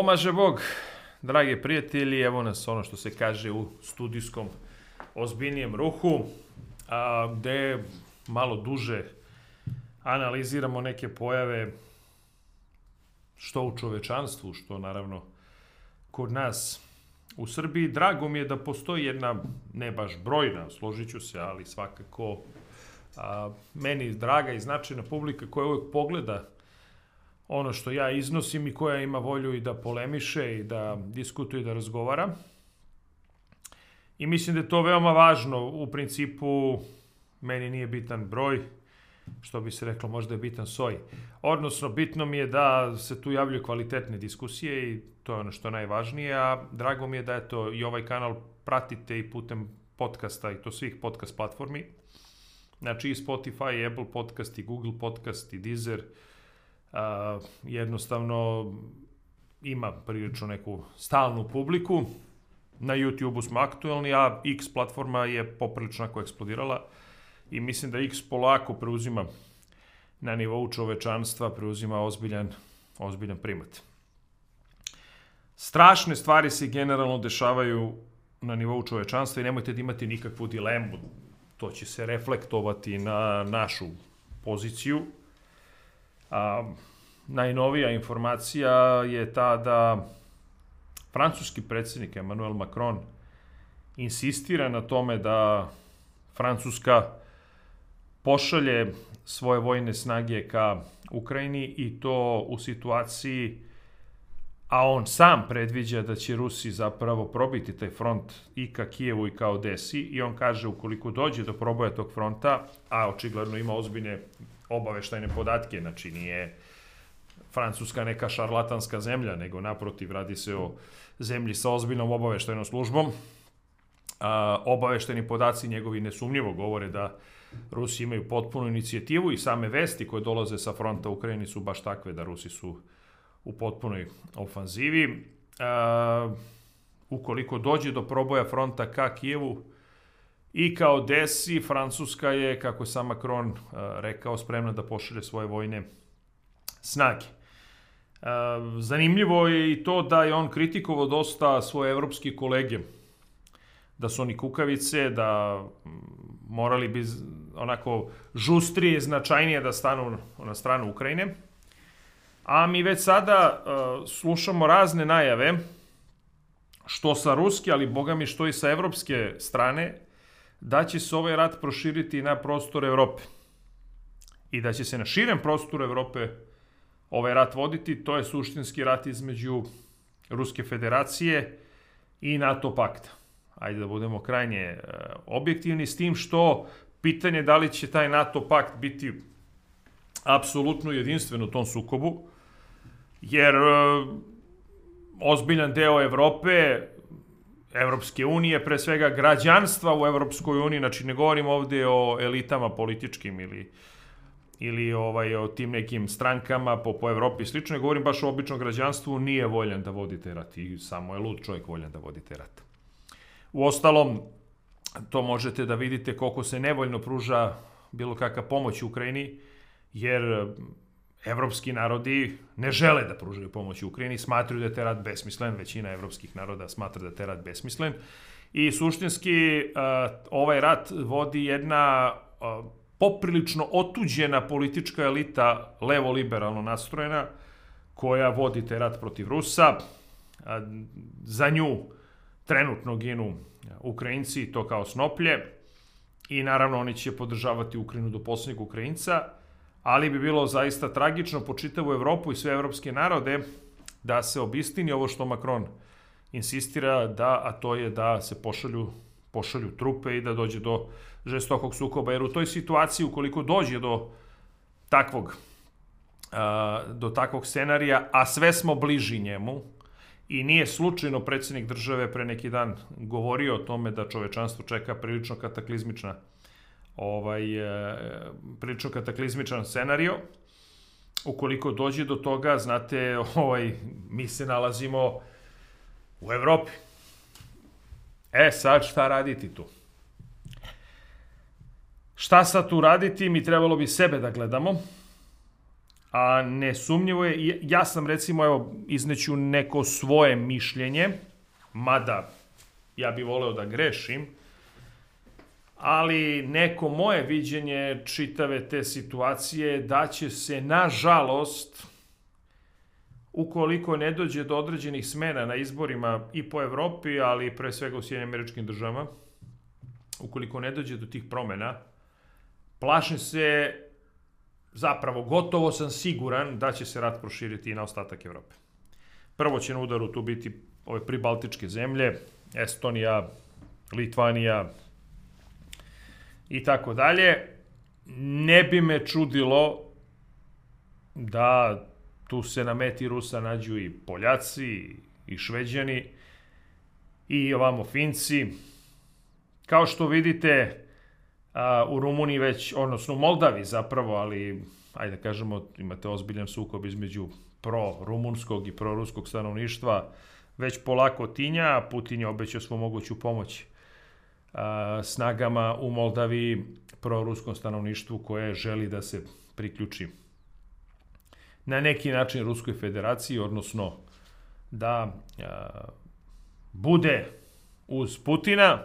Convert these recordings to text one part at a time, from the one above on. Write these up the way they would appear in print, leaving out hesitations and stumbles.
Pomaže Bog, dragi prijatelji, evo nas ono što se kaže u studijskom ozbiljnijem ruhu, gde malo duže analiziramo neke pojave što u čovečanstvu, što naravno kod nas u Srbiji. Drago mi je da postoji jedna, ne baš brojna, složit ću se, ali svakako meni draga i značajna publika koja uvijek pogleda ono što ja iznosim i koja ima volju i da polemiše i da diskutuje i da razgovara. I mislim da je to veoma važno. U principu, meni nije bitan broj, što bi se reklo, možda je bitan soj. Odnosno, bitno mi je da se tu javljaju kvalitetne diskusije i to je ono što je najvažnije, a drago mi je da eto, i ovaj kanal pratite i putem podcasta i to svih podcast platformi. Znači i Spotify, i Apple podcast, i Google podcast, i Deezer. Jednostavno ima prilično neku stalnu publiku. Na YouTube-u smo aktuelni, a X platforma je poprilično eksplodirala i mislim da X polako preuzima na nivou čovečanstva, preuzima ozbiljan primat. Strašne stvari se generalno dešavaju na nivou čovečanstva i nemojte da imate nikakvu dilemu. To će se reflektovati na našu poziciju. Najnovija informacija je ta da francuski predsjednik Emmanuel Macron insistira na tome da Francuska pošalje svoje vojne snage ka Ukrajini i to u situaciji, a on sam predviđa da će Rusi zapravo probiti taj front i ka Kijevu i ka Odesi i on kaže ukoliko dođe do proboja tog fronta, a očigledno ima ozbiljne obaveštajne podatke, znači nije Francuska neka šarlatanska zemlja, nego naprotiv radi se o zemlji sa ozbiljnom obaveštajnom službom. Obaveštajni podaci njegovi nesumnjivo govore da Rusi imaju potpunu inicijativu i same vesti koje dolaze sa fronta u Ukrajini su baš takve da Rusi su u potpunoj ofanzivi. Ukoliko dođe do proboja fronta ka Kijevu i ka Odesi, Francuska je, kako je sam Macron rekao, spremna da pošalje svoje vojne snage. Zanimljivo je i to da je on kritikovao dosta svoje evropske kolege, da su oni kukavice, da morali bi onako žustrije i značajnije da stanu na stranu Ukrajine. A mi već sada slušamo razne najave, što sa ruske, ali boga mi što i sa evropske strane, da će se ovaj rat proširiti na prostor Evrope. I da će se na širem prostoru Evrope ovaj rat voditi, to je suštinski rat između Ruske federacije i NATO pakta. Ajde da budemo krajnje objektivni s tim što pitanje da li će taj NATO pakt biti apsolutno jedinstven u tom sukobu, jer ozbiljan deo Evrope, Evropske unije, pre svega građanstva u Evropskoj uniji, znači ne govorim ovde o elitama političkim ili o tim nekim strankama po Evropi i slično, govorim baš o običnom građanstvu, nije voljan da vodi taj rat i samo je lud čovjek voljan da vodi taj rat. Uostalom, to možete da vidite koliko se nevoljno pruža bilo kakva pomoć Ukrajini, jer evropski narodi ne žele da pružaju pomoć Ukrajini, smatraju da je taj rat besmislen, većina evropskih naroda smatra da je taj rat besmislen i suštinski ovaj rat vodi jedna poprilično otuđena politička elita, levo-liberalno nastrojena, koja vodi taj rat protiv Rusa. Za nju trenutno ginu Ukrajinci, to kao snoplje, i naravno oni će podržavati Ukrajinu do posljednjeg Ukrajinca, ali bi bilo zaista tragično po čitavu Evropu i sve evropske narode da se obistini ovo što Macron insistira, a to je da se pošalju trupe i da dođe do žestokog sukoba, jer u toj situaciji ukoliko dođe do takvog scenarija, a sve smo bliži njemu, i nije slučajno predsjednik države pre neki dan govorio o tome da čovečanstvo čeka prilično kataklizmičan scenario. Ukoliko dođe do toga, znate, mi se nalazimo u Evropi. Sad šta raditi tu? Šta sad tu raditi? Mi trebalo bi sebe da gledamo, a nesumnjivo je, ja sam recimo, evo, izneću neko svoje mišljenje, mada ja bih voleo da grešim, ali neko moje viđenje čitave te situacije da će se, nažalost, ukoliko ne dođe do određenih smena na izborima i po Evropi, ali pre svega u Sjedinjenim Američkim Državama, ukoliko ne dođe do tih promena, plašim se, zapravo gotovo sam siguran da će se rat proširiti i na ostatak Evrope. Prvo će na udaru tu biti ove pribaltičke zemlje, Estonija, Litvanija i tako dalje. Ne bi me čudilo da tu se na meti Rusa nađu i Poljaci, i Šveđani, i ovamo Finci. Kao što vidite, u Rumuniji već, odnosno u Moldavi zapravo, ali, ajde da kažemo, imate ozbiljan sukob između pro-rumunskog i pro-ruskog stanovništva, već polako tinja, a Putin je obećao svu moguću pomoć snagama u Moldavi pro-ruskom stanovništvu koje želi da se priključi na neki način Ruskoj federaciji, odnosno da bude uz Putina.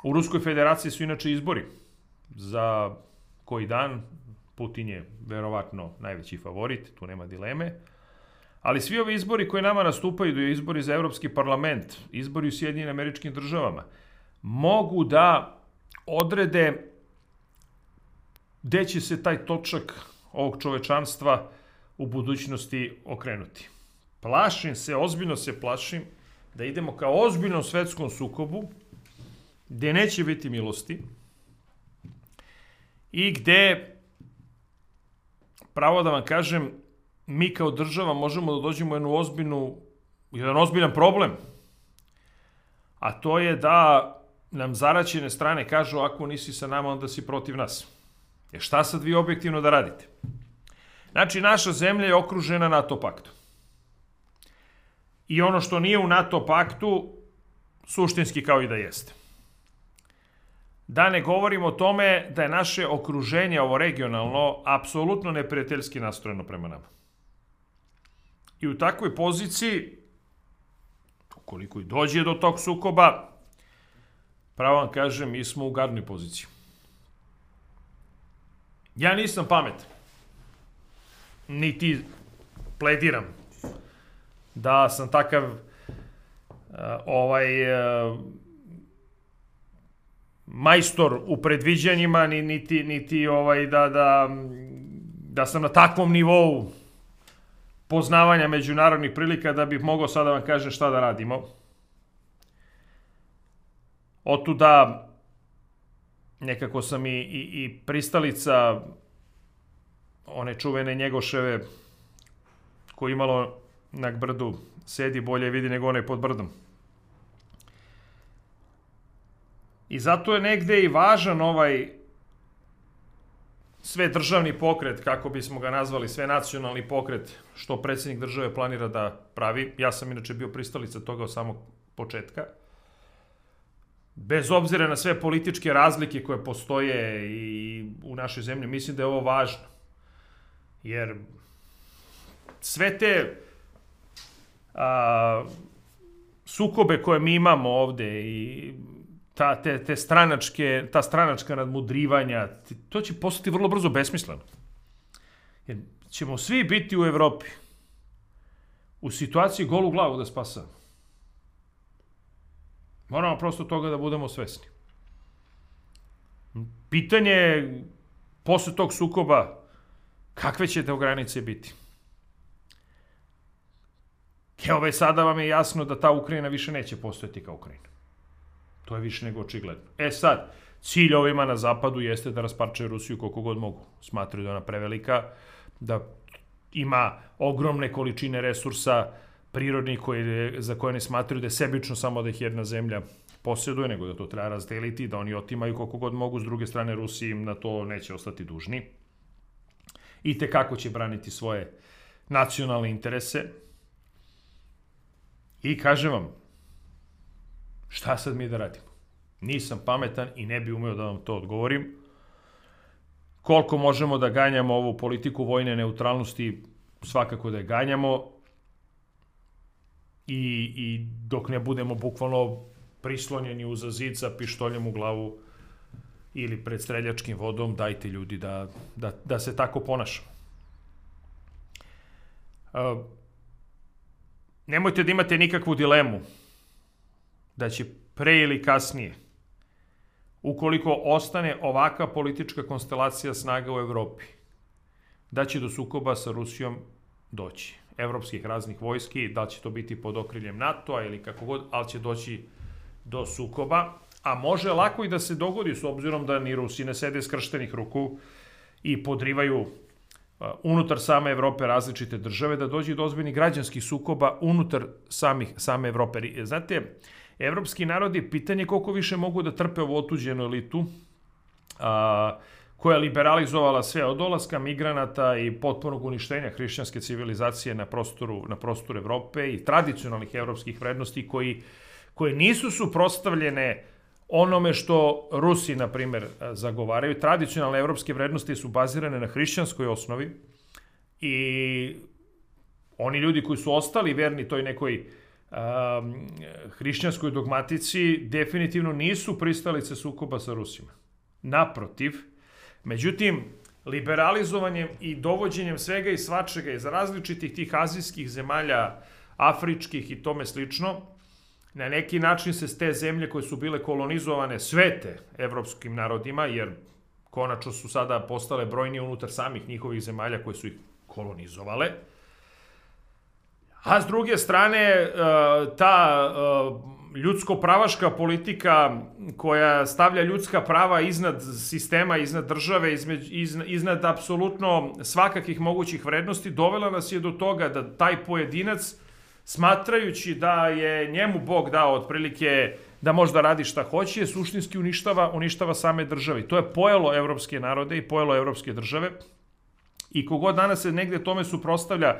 U Ruskoj federaciji su inače izbori za koji dan. Putin je verovatno najveći favorit, tu nema dileme. Ali svi ovi izbori koji nama nastupaju, da je izbori za Evropski parlament, izbori u Sjedinjenim Američkim Državama, mogu da odrede gde će se taj točak ovog čovečanstva u budućnosti okrenuti. Plašim se, ozbiljno se plašim, da idemo ka ozbiljnom svetskom sukobu, gde neće biti milosti i gde, pravo da vam kažem, mi kao država možemo da dođemo u jedan ozbiljan problem. A to je da nam zaraćene strane kažu, ako nisi sa nama, onda si protiv nas. Šta sad vi objektivno da radite? Znači, naša zemlja je okružena NATO paktom. I ono što nije u NATO paktu, suštinski kao i da jeste. Da ne govorim o tome da je naše okruženje, ovo regionalno, apsolutno neprijateljski nastrojeno prema nama. I u takvoj poziciji, ukoliko i dođe do tog sukoba, pravo vam kažem, mi smo u gadnoj poziciji. Ja nisam pametan, niti plediram da sam takav majstor u predviđanjima, niti da sam na takvom nivou poznavanja međunarodnih prilika da bih mogao sada vam kažem šta da radimo. Otuda nekako sam i pristalica one čuvene Njegoševe koji imalo na brdu sedi bolje vidi nego onaj pod brdom. I zato je negde i važan ovaj sve državni pokret, kako bismo ga nazvali, sve nacionalni pokret, što predsjednik države planira da pravi. Ja sam inače bio pristalica toga od samog početka. Bez obzira na sve političke razlike koje postoje i u našoj zemlji, mislim da je ovo važno. Jer sve te sukobe koje mi imamo ovde i ta stranačka nadmudrivanja, to će postati vrlo brzo besmisleno. Jer ćemo svi biti u Evropi u situaciji golu glavu da spasamo. Moramo prosto toga da budemo svesni. Pitanje je, posle tog sukoba, kakve će te granice biti? Evo već sada vam je jasno da ta Ukrajina više neće postojati kao Ukrajina. To je više nego očigledno. Sad, cilj ovima na zapadu jeste da rasparčaju Rusiju koliko god mogu. Smatraju da je ona prevelika, da ima ogromne količine resursa prirodnih za koje ne smatraju da je sebično samo da ih jedna zemlja posjeduje, nego da to treba razdeliti, da oni otimaju koliko god mogu. S druge strane, Rusiji im na to neće ostati dužni. I tekako će braniti svoje nacionalne interese. I kažem vam, šta sad mi da radimo? Nisam pametan i ne bi umeo da vam to odgovorim. Koliko možemo da ganjamo ovu politiku vojne neutralnosti, svakako da je ganjamo. I dok ne budemo bukvalno prislonjeni uza zid sa pištoljem u glavu ili pred streljačkim vodom, dajte ljudi da se tako ponašamo. Nemojte da imate nikakvu dilemu da će pre ili kasnije, ukoliko ostane ovakva politička konstelacija snaga u Evropi, da će do sukoba sa Rusijom doći. Evropskih raznih vojski, da će to biti pod okriljem NATO-a ili kako god, ali će doći do sukoba. A može lako i da se dogodi, s obzirom da ni Rusi ne sede skrštenih ruku i podrivaju unutar same Evrope različite države, da dođe do ozbiljnih građanskih sukoba unutar same Evrope. Znate, evropski narodi, pitanje koliko više mogu da trpe ovu otuđenu elitu, koja je liberalizovala sve od dolaska migranata i potpunog uništenja hrišćanske civilizacije na prostoru Evrope i tradicionalnih evropskih vrednosti koje nisu suprotstavljene onome što Rusi, na primjer, zagovaraju. Tradicionalne evropske vrednosti su bazirane na hrišćanskoj osnovi i oni ljudi koji su ostali verni toj nekoj hrišćanskoj dogmatici definitivno nisu pristalice sukoba sa Rusima. Naprotiv, međutim, liberalizovanjem i dovođenjem svega i svačega iz različitih tih azijskih zemalja, afričkih i tome slično, na neki način se te zemlje koje su bile kolonizovane svete evropskim narodima, jer konačno su sada postale brojnije unutar samih njihovih zemalja koje su ih kolonizovale. A s druge strane, ta ljudsko-pravaška politika koja stavlja ljudska prava iznad sistema, iznad države, iznad apsolutno svakakih mogućih vrednosti, dovela nas je do toga da taj pojedinac, smatrajući da je njemu Bog dao otprilike da možda radi šta hoće, suštinski uništava same države. To je pojelo evropske narode i pojelo evropske države. I kogod danas se negde tome suprotstavlja,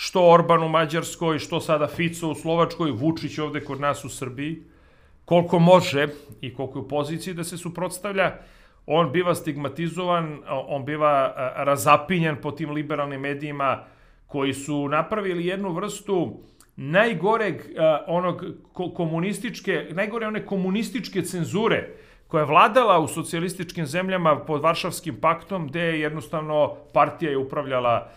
što Orban u Mađarskoj, što sada Fico u Slovačkoj, Vučić ovde kod nas u Srbiji, koliko može i koliko je u poziciji da se suprotstavlja, on biva stigmatizovan, on biva razapinjan po tim liberalnim medijima koji su napravili jednu vrstu najgore one komunističke cenzure koja je vladala u socijalističkim zemljama pod Varšavskim paktom, gde je jednostavno partija je upravljala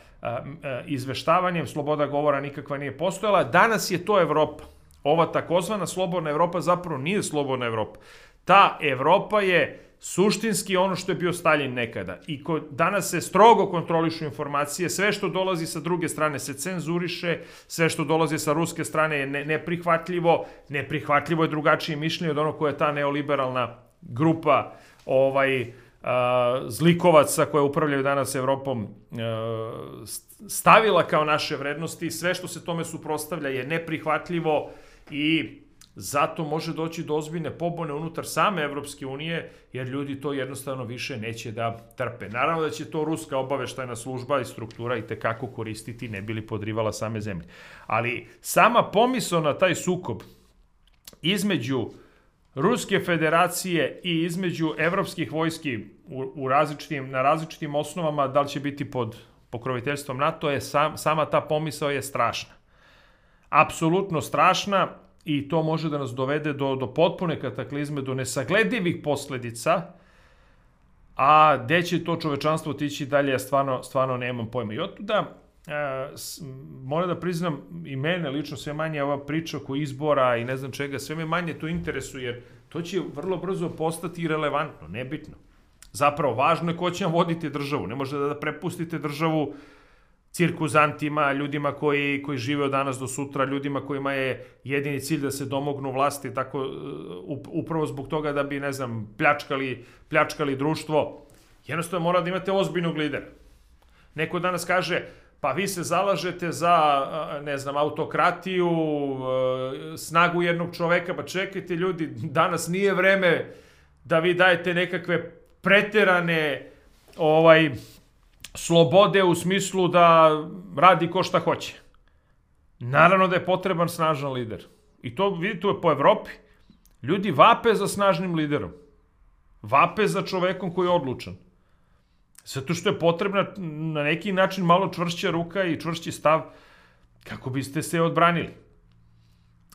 izveštavanjem, sloboda govora nikakva nije postojala. Danas je to Evropa. Ova takozvana slobodna Evropa zapravo nije slobodna Evropa. Ta Evropa je suštinski ono što je bio Staljin nekada. I danas se strogo kontrolišu informacije, sve što dolazi sa druge strane se cenzuriše, sve što dolazi sa ruske strane je neprihvatljivo. Neprihvatljivo je drugačije mišljenje od ono koje je ta neoliberalna grupa zlikovaca koje upravljaju danas Evropom stavila kao naše vrednosti. Sve što se tome suprotstavlja je neprihvatljivo i zato može doći do ozbiljne pobune unutar same Evropske unije, jer ljudi to jednostavno više neće da trpe. Naravno da će to ruska obaveštajna služba i struktura i tekako koristiti, ne bi li podrivala same zemlje. Ali sama pomisao na taj sukob između Ruske federacije i između evropskih vojski na različitim osnovama, da li će biti pod pokroviteljstvom NATO, sama ta pomisao je strašna. Apsolutno strašna i to može da nas dovede do potpune kataklizme, do nesagledivih posledica, a gde će to čovečanstvo otići dalje, ja stvarno nemam pojma. I otuda moram da priznam, i mene lično sve manje ova priča oko izbora i ne znam čega, sve me manje to interesuje, jer to će vrlo brzo postati irelevantno, nebitno. Zapravo, važno je ko će vam voditi državu. Ne možete da prepustite državu cirkuzantima, ljudima koji žive od danas do sutra, ljudima kojima je jedini cilj da se domognu vlasti, tako upravo zbog toga da bi, ne znam, pljačkali društvo. Jednostavno mora da imate ozbiljnog lidera. Neko danas kaže, pa vi se zalažete za, ne znam, autokratiju, snagu jednog čoveka, pa čekajte ljudi, danas nije vreme da vi dajete nekakve preterane slobode u smislu da radi ko šta hoće. Naravno da je potreban snažan lider. I to vidite po Evropi. Ljudi vape za snažnim liderom. Vape za čovekom koji je odlučan. Zato što je potrebna na neki način malo čvršća ruka i čvršći stav kako biste se odbranili.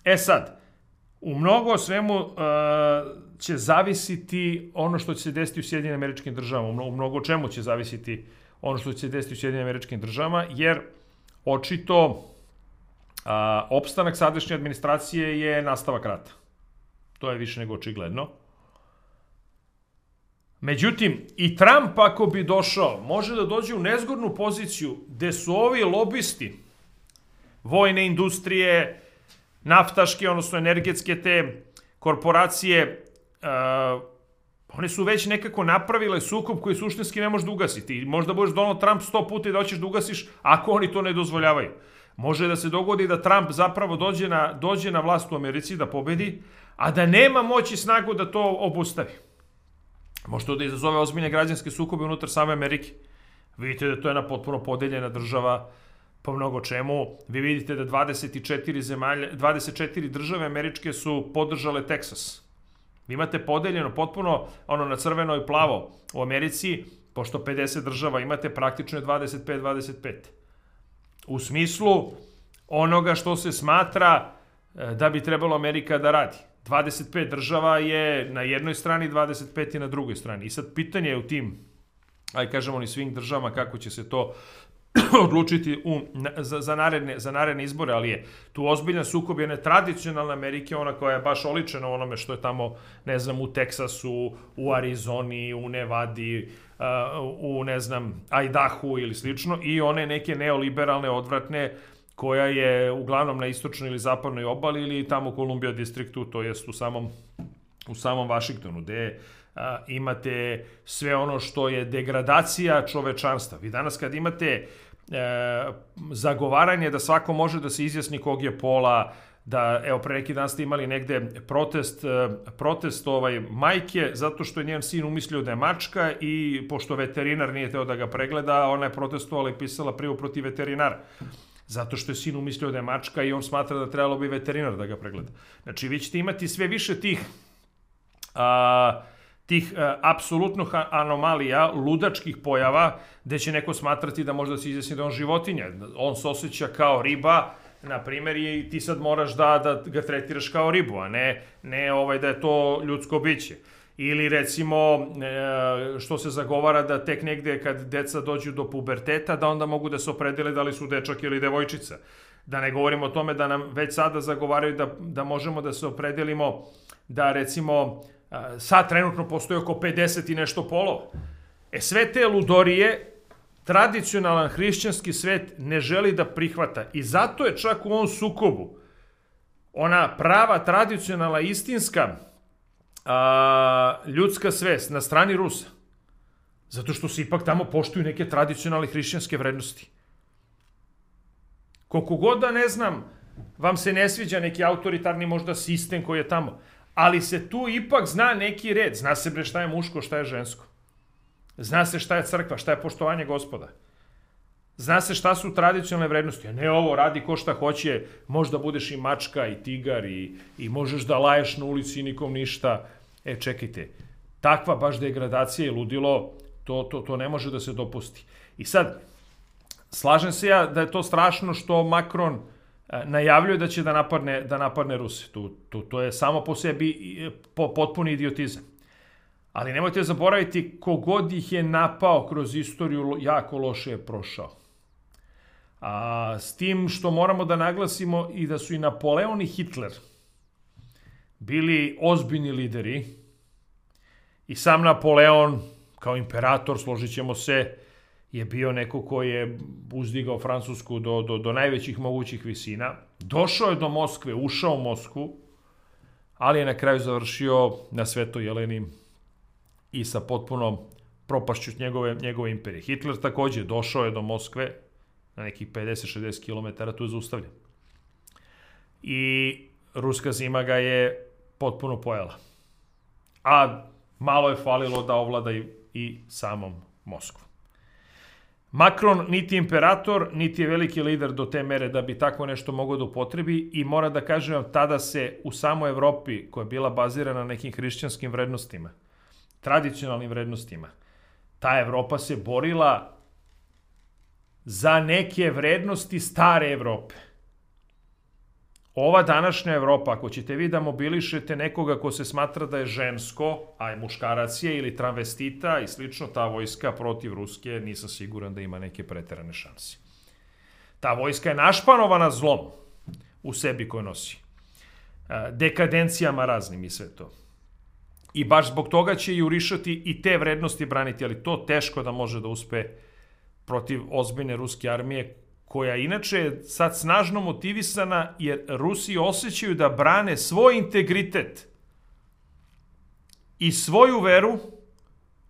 E sad, u mnogo svemu će zavisiti ono što će se desiti u Sjedinim Američkim Državama. U mnogo čemu će zavisiti ono što će se desiti u Sjedinim Američkim Državama, jer očito opstanak sadašnje administracije je nastavak rata. To je više nego očigledno. Međutim, i Trump ako bi došao, može da dođe u nezgodnu poziciju gde su ovi lobisti vojne industrije, naftaške, odnosno energetske te korporacije, one su već nekako napravile sukob koji suštinski ne možeš da ugasiti. Možda budeš Donald Trump 100 puta i da hoćeš da ugasiš, ako oni to ne dozvoljavaju. Može da se dogodi da Trump zapravo dođe na vlast u Americi, da pobedi, a da nema moći i snagu da to obustavi. Može to da izazove ozbiljne građanske sukobe unutar same Amerike. Vidite da to je jedna potpuno podeljena država po mnogo čemu. Vi vidite da 24 države američke su podržale Teksas. Vi imate podeljeno potpuno ono na crveno i plavo u Americi, pošto 50 država imate, praktično je 25-25. U smislu onoga što se smatra da bi trebalo Amerika da radi. 25 država je na jednoj strani, 25 je na drugoj strani. I sad pitanje je u tim, aj kažemo ni svim državama kako će se to odlučiti za naredne izbore, ali je tu ozbiljan sukob jedne tradicionalne Amerike, ona koja je baš oličena u onome što je tamo, ne znam, u Teksasu, u Arizoni, u Nevadi, u, ne znam, Idahu ili slično, i one neke neoliberalne, odvratne, koja je uglavnom na istočnoj ili zapadnoj obali ili tamo u Columbia distriktu, to jest u samom Vašingtonu, gde imate sve ono što je degradacija čovečanstva. Vi danas kad imate zagovaranje da svako može da se izjasni kog je pola, da, evo, pre neki dan ste imali negde protest majke, zato što je njen sin umislio da je mačka i pošto veterinar nije teo da ga pregleda, ona je protestovala i pisala prijavu protiv veterinara. Zato što je sin umislio da je mačka i on smatra da trebalo bi veterinar da ga pregleda. Znači, vi ćete imati sve više tih apsolutno anomalija, ludačkih pojava, gde će neko smatrati da možda se izjasni da on životinja. On se osjeća kao riba, na primjer, i ti sad moraš da ga tretiraš kao ribu, a ne da je to ljudsko biće. Ili recimo što se zagovara da tek negde kad deca dođu do puberteta da onda mogu da se opredele da li su dečak ili devojčica. Da ne govorimo o tome da nam već sada zagovaraju da možemo da se opredelimo da recimo sad trenutno postoji oko 50 i nešto polova. Sve te ludorije tradicionalan hrišćanski svet ne želi da prihvata i zato je čak u ovom sukobu ona prava, tradicionalna, istinska ljudska svest na strani Rusa. Zato što se ipak tamo poštuju neke tradicionalne hrišćanske vrednosti. Koliko god da, ne znam, vam se ne sviđa neki autoritarni možda sistem koji je tamo, ali se tu ipak zna neki red. Zna se bre šta je muško, šta je žensko. Zna se šta je crkva, šta je poštovanje Gospoda. Zna se šta su tradicionalne vrednosti. A ne ovo, radi ko šta hoće, možda budeš i mačka i tigar i možeš da laješ na ulici i nikom ništa. Čekajte, takva baš degradacija i ludilo, to ne može da se dopusti. I sad, slažem se ja da je to strašno što Macron najavljuje da će da napadne Ruse. To je samo po sebi potpuni idiotizam. Ali nemojte zaboraviti, kogod ih je napao kroz istoriju, jako loše je prošao. S tim što moramo da naglasimo i da su i Napoleon i Hitler bili ozbiljni lideri i sam Napoleon kao imperator, složit ćemo se, je bio neko koji je uzdigao Francusku do najvećih mogućih visina. Došao je do Moskve, ušao u Moskvu, ali je na kraju završio na Svetoj Jeleni i sa potpunom propašću njegove imperije. Hitler takođe došao je do Moskve na nekih 50-60 km, tu je zaustavljen. I ruska zima ga je potpuno pojela. A malo je falilo da ovlada i samom Moskvu. Macron niti imperator, niti je veliki lider do te mere da bi tako nešto mogao da upotrebi i mora da kažem vam, tada se u samoj Evropi, koja je bila bazirana na nekim hrišćanskim vrednostima, tradicionalnim vrednostima, ta Evropa se borila za neke vrednosti stare Evrope. Ova današnja Evropa, ako ćete vi da mobilišete nekoga ko se smatra da je žensko, a je muškarac je ili travestita i slično, ta vojska protiv Ruske, nisam siguran da ima neke preterane šanse. Ta vojska je našpanovana zlom u sebi koju nosi. Dekadencijama raznim i sve to. I baš zbog toga će jurišati i te vrednosti braniti, ali to teško da može da uspe protiv ozbiljne ruske armije, koja inače je sad snažno motivisana jer Rusi osjećaju da brane svoj integritet i svoju veru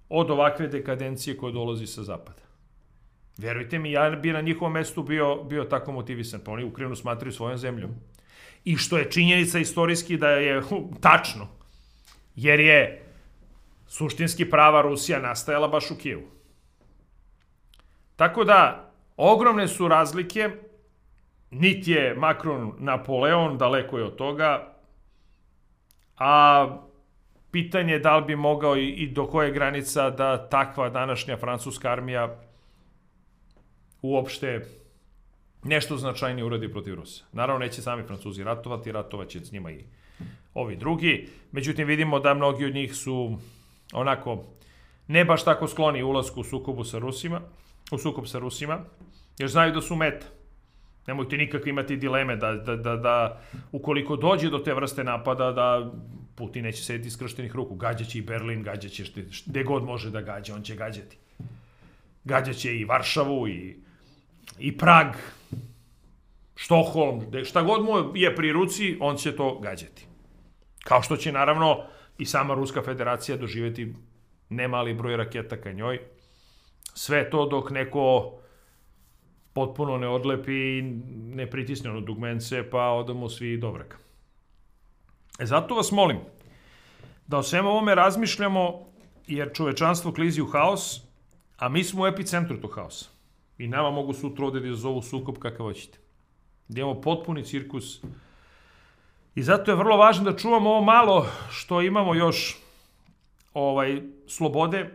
od ovakve dekadencije koja dolazi sa zapada. Verujte mi, ja bi na njihovom mestu bio tako motivisan, pa oni Ukrajinu smatraju svojom zemljom. I što je činjenica istorijski da je tačno, jer je suštinski prava Rusija nastajala baš u Kijevu. Tako da, ogromne su razlike, niti je Macron Napoleon, daleko je od toga, a pitanje je da li bi mogao i do koje granica da takva današnja francuska armija uopšte nešto značajnije uradi protiv Rusa. Naravno, neće sami Francuzi ratovati, ratovaće s njima i ovi drugi. Međutim, vidimo da mnogi od njih su onako ne baš tako skloni ulasku u sukob sa Rusima, jer znaju da su meta. Nemojte nikako imati dileme da ukoliko dođe do te vrste napada, da Putin neće sediti iskrštenih ruku. Gađaće i Berlin, gađaće gde god može da gađa, on će gađati. Gađaće i Varšavu, i Prag, Štokholm, šta god mu je pri ruci, on će to gađati. Kao što će naravno i sama Ruska federacija doživjeti nemali broj raketa ka njoj. Sve to dok neko potpuno ne odlepi i ne pritisne ono dugmence, pa odamo svi do vrha. Zato vas molim da o svemu ovome razmišljamo, jer čovečanstvo klizi u haos, a mi smo u epicentru tog haosa. I nama mogu sutra ovde da izazovu sukob kakav hoćete. Da imamo potpuni cirkus. I zato je vrlo važno da čuvamo ovo malo što imamo još slobode,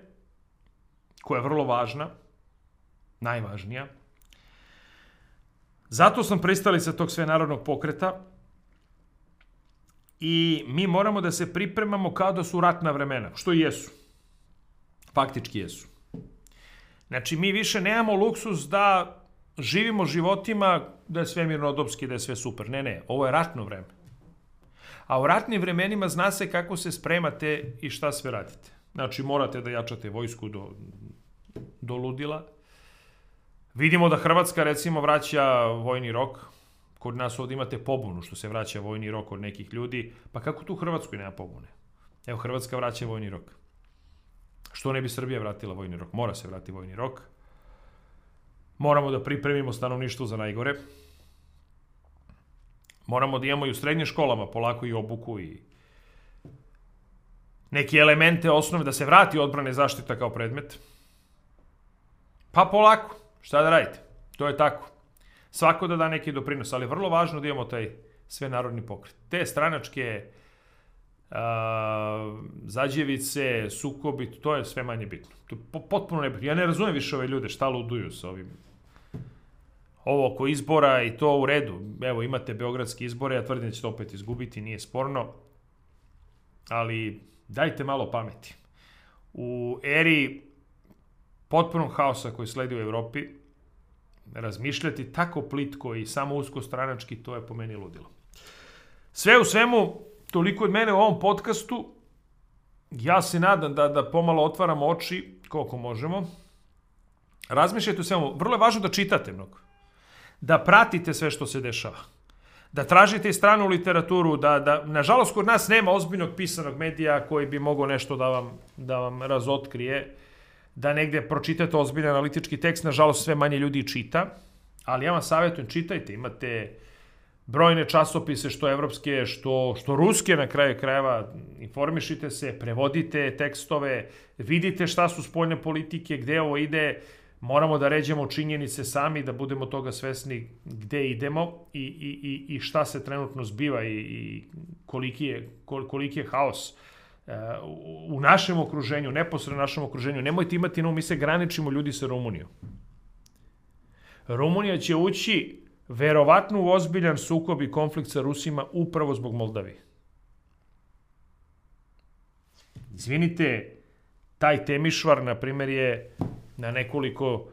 koja je vrlo važna, najvažnija. Zato sam pristalica tog svenarodnog pokreta i mi moramo da se pripremamo kao da su ratna vremena, što i jesu. Faktički jesu. Znači, mi više nemamo luksus da živimo životima da je sve mirnodopski, da je sve super. Ne, ovo je ratno vreme. A u ratnim vremenima zna se kako se spremate i šta sve radite. Znači, morate da jačate vojsku do ludila. Vidimo da Hrvatska, recimo, vraća vojni rok. Kod nas ovdje imate pobunu što se vraća vojni rok od nekih ljudi. Pa kako tu u Hrvatskoj nema pobune? Evo, Hrvatska vraća vojni rok. Što ne bi Srbija vratila vojni rok? Mora se vrati vojni rok. Moramo da pripremimo stanovništvo za najgore. Moramo da imamo i u srednjim školama polako i obuku i neke elemente osnove da se vrati odbrane zaštita kao predmet. Pa polako. Šta da radite? To je tako. Svako da neki doprinos, ali je vrlo važno da imamo taj svenarodni pokret. Te stranačke zađevice, sukobi, to je sve manje bitno. To je potpuno nebitno. Ja ne razumem više ove ljude šta luduju sa ovim. Ovo oko izbora i to u redu. Evo, imate beogradske izbore, ja tvrdim da ćete opet izgubiti, nije sporno. Ali dajte malo pameti. U eri potpunog haosa koji sledi u Evropi, razmišljati tako plitko i samo uskostranački, to je po meni ludilo. Sve u svemu, toliko od mene u ovom podcastu. Ja se nadam da pomalo otvaramo oči koliko možemo. Razmišljajte o svemu. Vrlo je važno da čitate mnogo. Da pratite sve što se dešava. Da tražite i stranu literaturu. Nažalost, kod nas nema ozbiljnog pisanog medija koji bi mogao nešto da vam razotkrije. Da negde pročitate ozbiljan analitički tekst. Nažalost, sve manje ljudi čita. Ali ja vam savjetujem, čitajte. Imate brojne časopise, što evropske, što ruske na kraju krajeva. Informišite se, prevodite tekstove, vidite šta su spoljne politike, gde ovo ide. Moramo da ređemo činjenice sami, da budemo toga svesni gde idemo i šta se trenutno zbiva i koliki je haos u našem okruženju, neposredno našem okruženju, nemojte imati na umu, mi se graničimo ljudi sa Rumunijom. Rumunija će ući verovatno u ozbiljan sukob i konflikt sa Rusima upravo zbog Moldavije. Izvinite, taj Temišvar, na primjer, je na nekoliko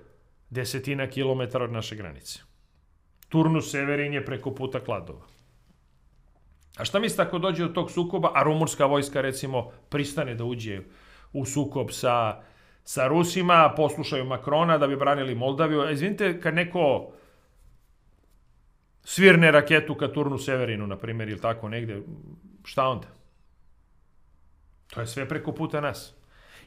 desetina kilometara od naše granice. Turnus Severin je preko puta Kladova. A šta mislite ako dođe do tog sukoba, a rumunska vojska, recimo, pristane da uđe u sukob sa Rusima, poslušaju Makrona da bi branili Moldaviju? Izvinite, kad neko svirne raketu ka Turnu Severinu, na primjer, ili tako negde, šta onda? To je sve preko puta nas.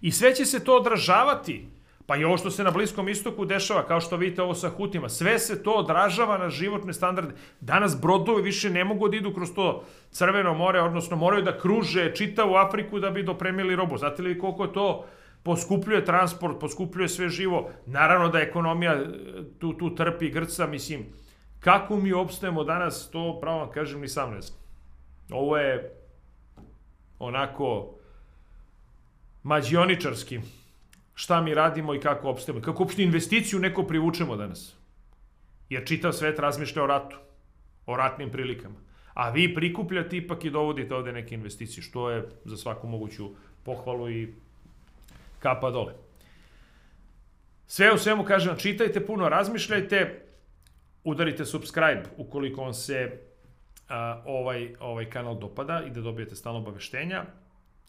I sve će se to odražavati. Pa i ovo što se na Bliskom istoku dešava, kao što vidite ovo sa Hutima, sve se to odražava na životne standarde. Danas brodovi više ne mogu da idu kroz to Crveno more, odnosno moraju da kruže čitavu Afriku da bi dopremili robu. Znate li koliko to poskupljuje transport, poskupljuje sve živo? Naravno da ekonomija tu trpi, grca, mislim. Kako mi opstajemo danas, to pravo vam kažem ni sam ne znam. Ovo je onako mađioničarski. Šta mi radimo i kako opstajemo. Kako uopšte investiciju neko privučemo danas. Jer čitav svet razmišlja o ratu. O ratnim prilikama. A vi prikupljate ipak i dovodite ovde neke investicije. Što je za svaku moguću pohvalu i kapa dole. Sve u svemu kažem, čitajte puno, razmišljajte. Udarite subscribe ukoliko vam se ovaj kanal dopada i da dobijete stalno obaveštenja.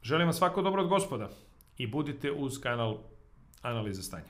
Želim vam svako dobro od Gospoda i budite uz kanal Analize stanja.